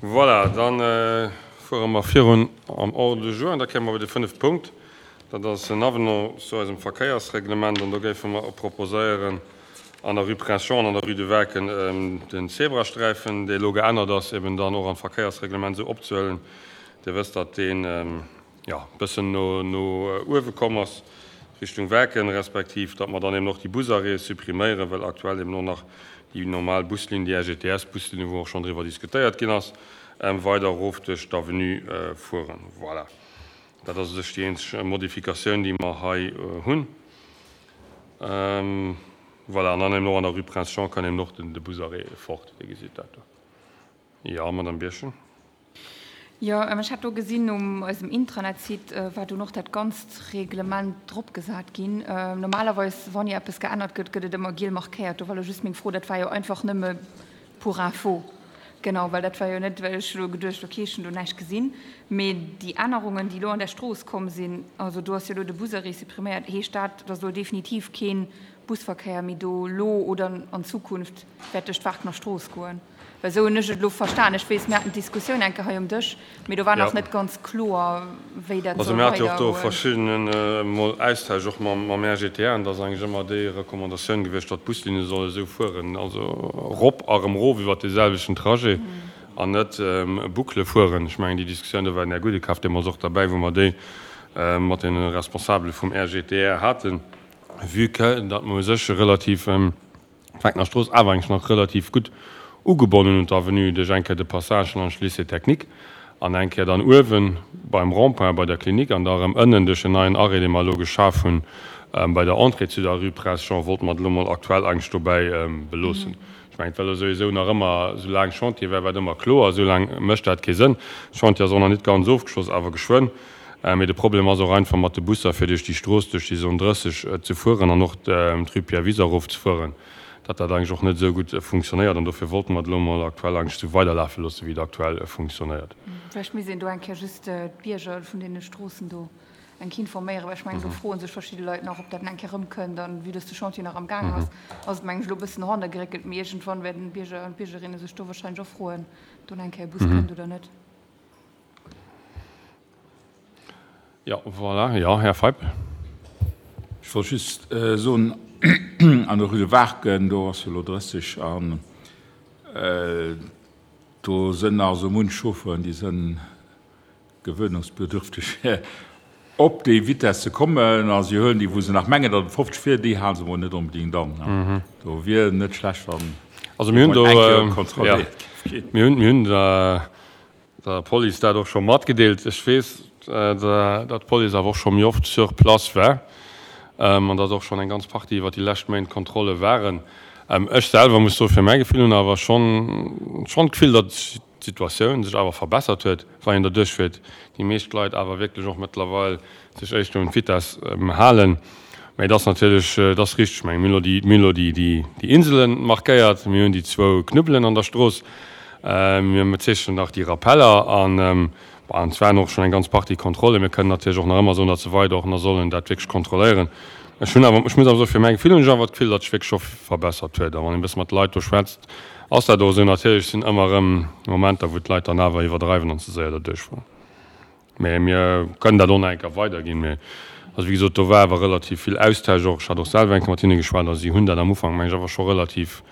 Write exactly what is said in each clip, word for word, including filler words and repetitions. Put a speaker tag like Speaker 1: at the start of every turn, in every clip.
Speaker 1: Voilà, dann fuere mer virun am Ordre du jour an da kéime mer bei de fënnefte Punkt. Dat ass en Avenant zu eisem Verkéiersreglement an do géife mer proposéieren, an der Rue Prince Jean an an der Rue de Werken den Zebrasträifen, dee elo geännert ass, eben dann och an d'Verkéiersreglement esou opzehuelen. Dir wësst, datt deen, jo, e bëssen no no uewe komm ass, Richtung Werken, respektiv datt mer dann eben och déi Busarrêtë suppriméieren, well aktuell eben och nach déi normal Buslinn, déi R G T S-Buslinn, wou och schonn driwwer diskutéiert ginn ass, weider erof duerch d'Avenue fueren. Voilà. Dat ass u sech déi eenzeg Modifikatioun, déi mer hei hunn. Voilà, an dann eben och an der Rue Prince Jean kann eben och den de Busarrêt fort. Dir gesitt dat do. Jo, Madame Birchen.
Speaker 2: Jo, ech hat do gesinn um eisem Intranet-Site war do och dat ganzt Reglement dropgesat ginn. Normalerweis, wann jo eppes geännert gëtt, gëtt et ëmmer giel markéiert. Do war elo just meng Fro, dat war jo einfach nëmme pour info. Genau, well dat war jo net, well ech elo geduecht, okay, ech hunn do näischt gesinn. Mee déi Ännerungen, déi elo an der Strooss komm sinn, also do ass jo elo de Busarrêt suppriméiert, heescht dat, dass elo definitiv keen Busverkéier méi do elo oder an Zukunft wäert duerch d'Waarkener Strooss goen? Well esou hunn ech et elo verstan. Ech weess, mir haten d'Diskussioun eng Kéier hei um Dësch, mee do war nach net ganz kloer, wéi dat
Speaker 1: Also
Speaker 2: soll
Speaker 1: mir hate jo och do
Speaker 2: weidergoen.
Speaker 1: Verschiddene mol Austausch och mam mam R G T R an da ass eigentlech ëmmer déi Recommandatioun gewiescht, datt d'Buslinne solle esou fueren, also rop a rëm rof iwwert dee selwechten Trajet an net Boucle fueren. Ech mengen, déi Diskussioun, do war den Här Gudekaf deemools och derbäi, wou mer déi mat deene Responsabele vum R G T R haten, vue que datt mer u sech relativ d'Waarkener Strooss awer eigentlech nach relativ gutt ugebonnen un d'Avenue duerch eng Kéier de Passage laanscht Lycée technique an eng Kéier dann uewe beim Rond-point bei der Klinik an da erëm ënnen duerch en neien Arrêt, dee mer elo geschaf hunn bei der Entrée zu der Rue Prince Jean, wollte mer et elo mol aktuell eigentlech dobäi beloossen. Ech mengen, et war elo souwisou nach ëmmer, soulaang Chantier war, war et ëmmer kloer, soulaang mécht dat kee Sënn. Chantier ass och nach net ganz ofgeschloss, awer geschwënn. Mee de Problem ass och einfach mat de Busser, fir duerch déi Strooss, duerch déi Zone drësseg ze fueren an och d'Rue Pierre Wies erofzefueren, datt dat eigentlech och net esou gutt funktionéiert. An dofir wollte mer et elo mol aktuell eigentlech esou weiderlafe loossen, wéi et aktuell funktionéiert.
Speaker 2: Vläicht misst een do eng Kéier just d'Bierger vun deene Stroossen do eng Kéier informéieren, well ech mengen, do froe sech verschidde Leit nach, ob dat eng Kéier erëmkënnt. An vue dass de Chantier nach am Gaang ass, ass et, mengen ech, elo e bëssen no hanne geréckelt. Mee iergendwann wäerten d'Bierger an d'Biergerinne sech do wahrscheinlech och froen, ob do nach eng Kéier e Bus kënnt oder net.
Speaker 1: Jo, voilà. Jo, Här Feip.
Speaker 3: Ech wollt just soen, an der Rue de Waarken, do ass jo elo drësseg an do sënn nach esou munch Chauffeuren, déi sënn gewöhnungsbedürftig op déi Vitesse ze kommen a si huelen déi, wou se nach mengen, datt et fofzeg wier, déi hale se mol net onbedéngt an. Do wier net schlecht, wann
Speaker 1: Also mir hunn do
Speaker 3: eng Kéier
Speaker 1: ja,
Speaker 3: kontrolléiert géif ginn.
Speaker 1: Mir hunn, mir hunn der, der Police dat och scho matgedeelt. Ech weess, datt d'Police awer och scho méi oft sur place war an datt och schonn eng ganz Partie iwwer déi lescht Méint Kontrolle waren. Ech selwer muss soe fir mäi Gefill hunn awer schonn schonn d'Gefill, datt d'Situatioun sech awer verbessert huet, wann een derduerch fiert. Déi meescht Leit awer wierklech och mëttlerweil sech éischter un d'Vitesse halen. Mä et ass natierlech, et ass richteg, ech menge mir hunn elo déi, mir hunn elo déi, déi, déi Insele markéiert, mir hunn déi zwou Knubbelen an der Strooss, mir zeechnen nach déi Rappeller an, bon, an et waren och schonn eng ganz Partie Kontrollen. Mir kënnen natierlech och nach ëmmer soen, datt se weider och nach sollen dat wierklech kontrolléieren. Ech hunn awer, ech muss awer soen, fir mäi Gefill hunn ech awer d'Gefill, datt sech wierklech scho verbessert huet. A wann een e bësse mat de Leit do schwätzt, ass dat och esou. Natierlech sinn ëmmer erëm Momenter, wou d'Leit dann awer iwwerdreiwen an ze séier derduerch fueren. Mä mir kënnen dat och nach eng Kéier weiderginn. Mä also wéi gesot, do war awer relativ vill Austausch och. Ech hat och selwer eng Kéier mat hinne geschwat a si hunn dat am Ufank, meng ech, awer scho relativ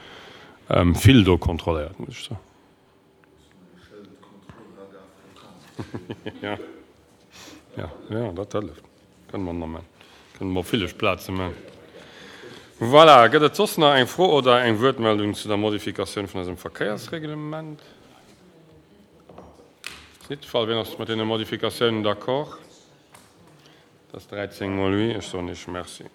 Speaker 1: vill do kontrolléiert, muss ech soen. Ja, ja, ja, dat hëlleft. Kënne mer nach maachen. Kënne mer op ville Plaze maachen. Voilà, gëtt et soss nach eng Fro oder eng Wuertmeldung zu der Modifikatioun vun eisem Verkéiersreglement? Ass net de Fall. Wien ass mat deene Modifikatiounen d'accord? Dat ass dräizéng mol oui. Ech soen Iech Merci.